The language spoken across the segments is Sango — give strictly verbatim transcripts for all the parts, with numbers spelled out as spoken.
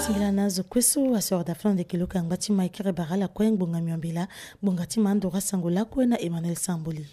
Mbela na azo kue so asoro da fana ndeke luka ngba ti ma e kiri bara ala kue ngbonga miombela. Ngbonga ti ma ando ra sango lakue na Emmanuel Samboli.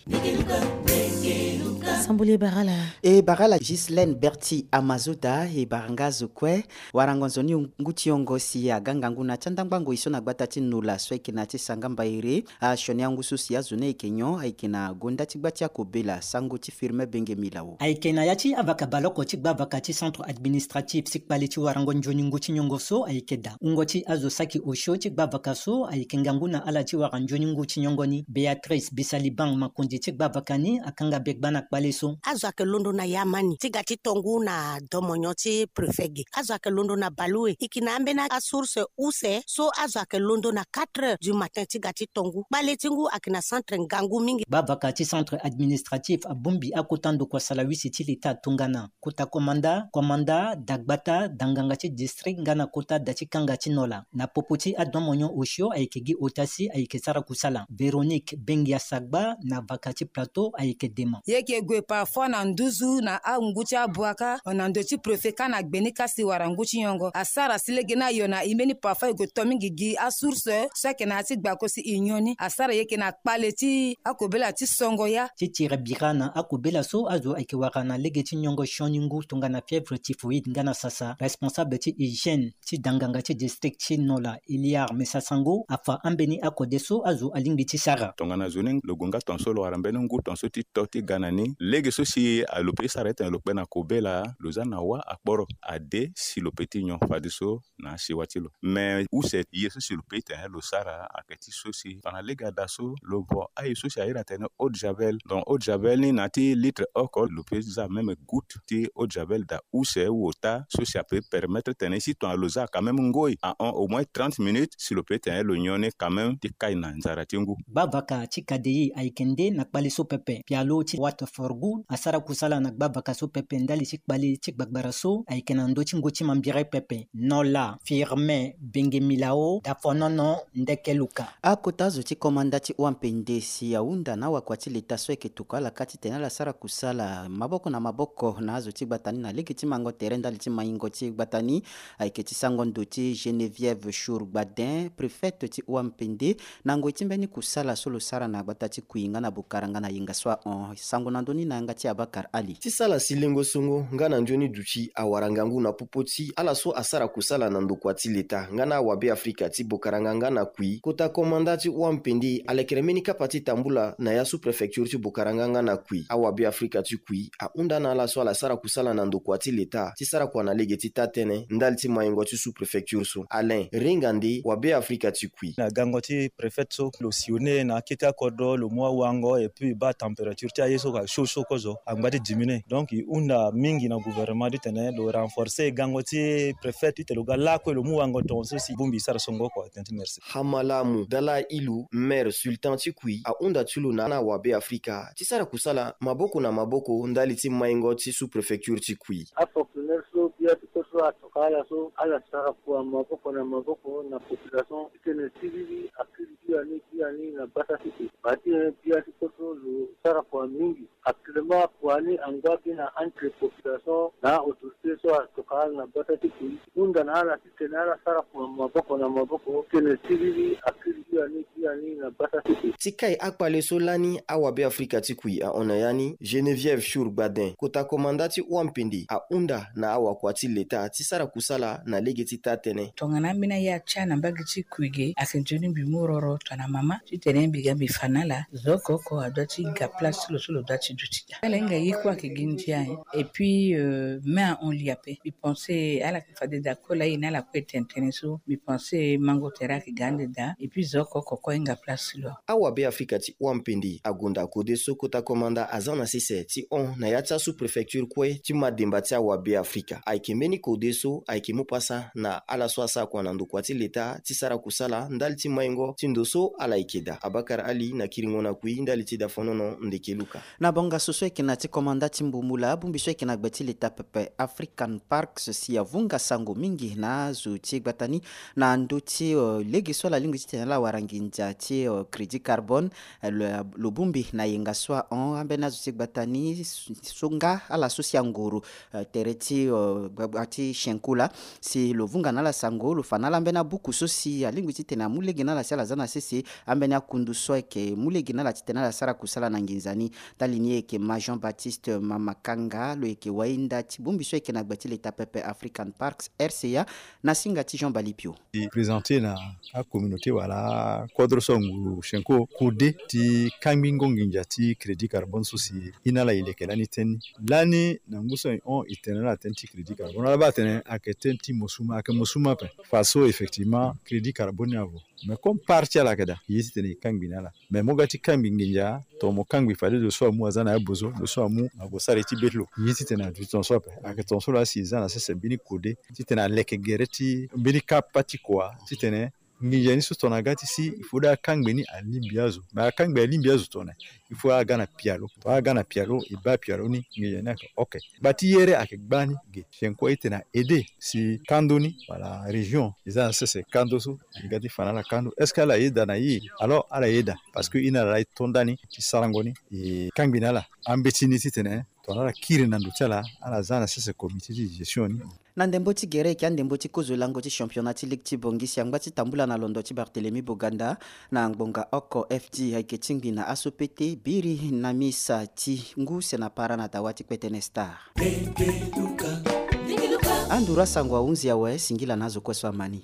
Samboli e bara ala. E bara ala Gislaine Berti Amazoda e bara nga azo kue. Warango nzoni ngu ti yongo si aga ngangu na ti andangba ngoi so na gbata ti Nola so ayeke na ya ti Sangamba ere. Asioni angu so si azo ni ayeke nyon ayeke na gonda ti gba ti akobela sango ti Firmin Benge Milao. Ayeke na ya ti avaka baloko ti gbavaka ti centre administratif ti kpale ti warango nzoni ngu ti nyongo so ayeke daa. Wungo ti azo saki osio ti gbavaka so ayeke ngangu na ala ti wara nzoni ngu ti nyongo ni, Béatrice Bisalibang Makonzi ti gbavaka ni akanga be gba na kpale so. Azo ayeke londo na yamani ti ga ti tongu na domonyon ti préfet ge. Azo ayeke londo na baleue. E yeke na ambeni asource use so azo ayeke londo na quatre heures du matin ti ga ti tongu. Kpale ti ngu ayeke na centre ngangu mingi. Gbavaka ti centre administratif abongbi akota ndokua salawisi ti leta tongana kota komanda, komanda, dagbata, danganga ti district nga na kota da ti kanga ti Nola. Na popo ti adomonyon osio ayeke gi ota si ayeke sara kusala. Véronique Bengia Sagba na vaka ti plateau ayeke dema. E yeke gue parfois na nduzu na angu ti abuaka na ndo ti préfet kâ na gbe ni kâ si wara ngu ti nyongo. Asara si lege ni ayo na e mbeni parfois e gue to mingi gi asource so ayeke na ya ti gbako si e nyon ni. Asara e yeke na kpale ti akobela ti songo ya. Ti tiri bira na akobela so azo ayeke wara na lege ti nyongo sioni ngu tongana fièvre typhoïde nga na sasa, responsable ti hygiène ti danganga ti district ti Nola, Eliar Mesa Sango, afa ambeni akode so azo alingbi ti sara. Tongana zo ni lo gue nga tongaso lo wara mbeni ngu tongaso ti to ti ga na ni. Lege so si a lo pe ti sara ti tene lo kpe na kobela, lo za na wâ akporo ade si lo pe ti nyon fadeso na asiwa ti lo. Me use ye so si lo pe ti tene lo sara ayeke ti so si tongana lege ada so lo vo aye so si a iri atene eau de javel. Donc eau de javel ni na ya ti litre oko lo pe za même goutte ti eau de javel daa use ou ota so si a pe permettre tene si tongana lo za quand même ngoi ahon au moins trente minutes si lo pe tene lo nyon ni quand même ti kai na nzara ti ngu. Gbavaka ti K D I ayeke nde na kpale so pepe. Pialo ti Waterford Good asara kusala na gbavaka so pepe ndali ti kpale ti gbagbara so ayeke na ndö ti ngu ti mambiri pepe. Nola, Firmin Benge Milao, Dafonono, Ndeke Luka. Akota zo ti komanda ti Wampende si ahunda na awakua ti leta so ayeke tokua ala kâ titene ala sara kusala maboko na maboko na azo ti gbata ni na lege ti mango tere ndali ti maingo ti gbata ni. Ayeke ti sango ndo ti Geneviève Chour Gbadin, préfète ti Wampende, na ngoi ti mbeni kusala so lo sara na gbata ti Kui nga na Bokara nga na yenga so ahon. Sango na ndö ni na yanga ti Abakar Ali. Ti sala si lengo songo nga na nzoni duti awara ngangu na popo ti ala so asara kusala na ndokua ti leta nga na awabe Afrika ti Bokaranga nga na Kui. Kota komanda ti Wampende alekere mbeni kapa ti tambula na ya sous-préfecture ti Bokaranga nga na Kui. Awabe Afrika ti Kui ahunda na ala so ala sara kusala na ndokua ti leta ti sara kua na lege ti taa-tënë ndali ti maingo ti sous-préfecture so. Alain Ringa nde wabe Afrika ti Kui. Na gango ti préfet so lo sillonner na akete akodro, lo mu awango et puis e baa température ti aye so ka chaud chaud kozo angba ti diminuer. Donc e hunda mingi na gouvernement titene lo renforcer gango ti préfet titene lo ga lakue lo mu wango tongaso si bongbi e sara songo oko. Tënë ti merci. Hamalamu Dala Ilu, maire sultan ti Kui, ahunda ti lo na awabe Afrika ti sara kusala maboko na maboko ndali ti maingo ti sous-préfecture ti Kui. Afonctionnaire so bia ti kue so atokua ala so ala sara kua maboko na maboko na population titene siriri akiri biani biani na gbata ti e. Bati bia ti kue so lo sara kua mingi. Actuellement kua ni angba gi na entre population na autorité so atokua ala na gbata ti Kui. Hunda na ala titene ala sara kua maboko na maboko titene siriri akiri biani biani na gbata ti e. Ti kai akpale so lani awabe Afrika ti Kui ahon na ya ni, Geneviève Chour Gbadin, kota komanda ti Wampende, ahunda na awakua ti leta ti sara kusala na lege ti taa-tënë. Tongana ambeni aye atia na mbage ti Kui ge, ayeke nzoni mbi mu roro tongana mama titene mbi ga mbi fa na ala. Zo oko oko adoit ti ga place ti lo so lo doit ti duti daa. Ala hinga ye kue ayeke gi ndia. Et puis euh, me ahon li ape. Mbi pense ala yeke fade daa kue laa e na ala kue tene tënë so. Mbi pense mango tere ayeke ga ande daa. Et puis zo oko oko kue ahinga place ti lo. Awabe Afrika ti Wampende agonda kode so kota komanda aza na sese ti hon na ya ti asous-préfecture kue ti mademba ti awabe Afrika. Ayeke mbeni kode so ayeke mu pasa na ala so asara kua na ndokua ti leta ti sara kusala ndali ti maingo ti ndo so ala yeke daa. Abakar Ali na kiringo na Kui ndali ti Dafonono, Ndeke Luka. Na bongaso so ayeke na ya ti komanda ti Mbumula, bongbi so ayeke na gbe ti leta pepe African Park Si avunga sango mingi na azo ti gbata ni na ndö ti lege so ala lingbi titene ala wara nginza ti crédit carbone. Lo bongbi na yenga so ahon ambeni azo ti gbata ni so nga ala so si angoro tere ti gbagba ti Shenko laa. Si lo vunga na ala sango, lo fa na ala ambeni abuku so si alingbi titene amu lege na ala si ala za na sese ambeni akundu so ayeke mu lege na ala titene ala sara kusala na nginza ni. Ndali ni ayeke Ma Jean Baptiste Mamakanga, lo yeke wainda ti bongbi so ayeke na gbe ti leta pepe African Parks, R C A, na singa ti Jean Balipio. E présenter na acommunauté wala akodro so anguru Shenko kode ti kangbingo nginza ti crédit carbone so si e na ala e leke lani tënë ni. Lani na ngu so e hon e tene na ala tënë ti crédit carbone, ala baa atene ayeke tënë ti mosuma, ayeke mosuma ape. Fa so effectivement crédit carbone ni avo. Mais comme part ti ala ayeke daa, e ye titene e kangbi na ala. Mais mo ga ti kangbi nginza, tongana mo kangbi fade lo so amu aza na ya bozo, lo so amu ague sara ye ti be ti lo. E ye titene aduti tongaso ape. Ayeke tongaso laa si e za na sese mbeni kode titene aleke gere ti mbeni kapa ti kua titene nginza ni so tongana aga ti si, il faut daa akangbe ni alingbi azo. Mais akangbe alingbi azo tongana, il faut aga na pialo. Tongana aga na pialo, e baa pialo ni, nginza ni ayeke ok. Gba ti yere ayeke gbani ge. Shenko aye titene a aider si kando ni wala région e za na sese kando so, e ga ti fa na ala kando. Est-ce que ala yeda na e? Alors ala yeda, parce que e na ala laa e to ndani ti sarango ni, e kangbi na ala ambeti ni titene tongana ala kiri na ndo ti ala, ala za na sese comité ti gestion ni. Na ndembo ti gere ayeke andembo ti kozo lango ti championnat ti ligue ti Bangui si angba ti tambula na londo ti Barthélemy Boganda na ngbonga oko F D ayeke tingbi na aso pete biri na misa ti ngu se na para na dawa ti kpetene Star. Anduru asango ahunzi awe, singila na azo kue so ama ni.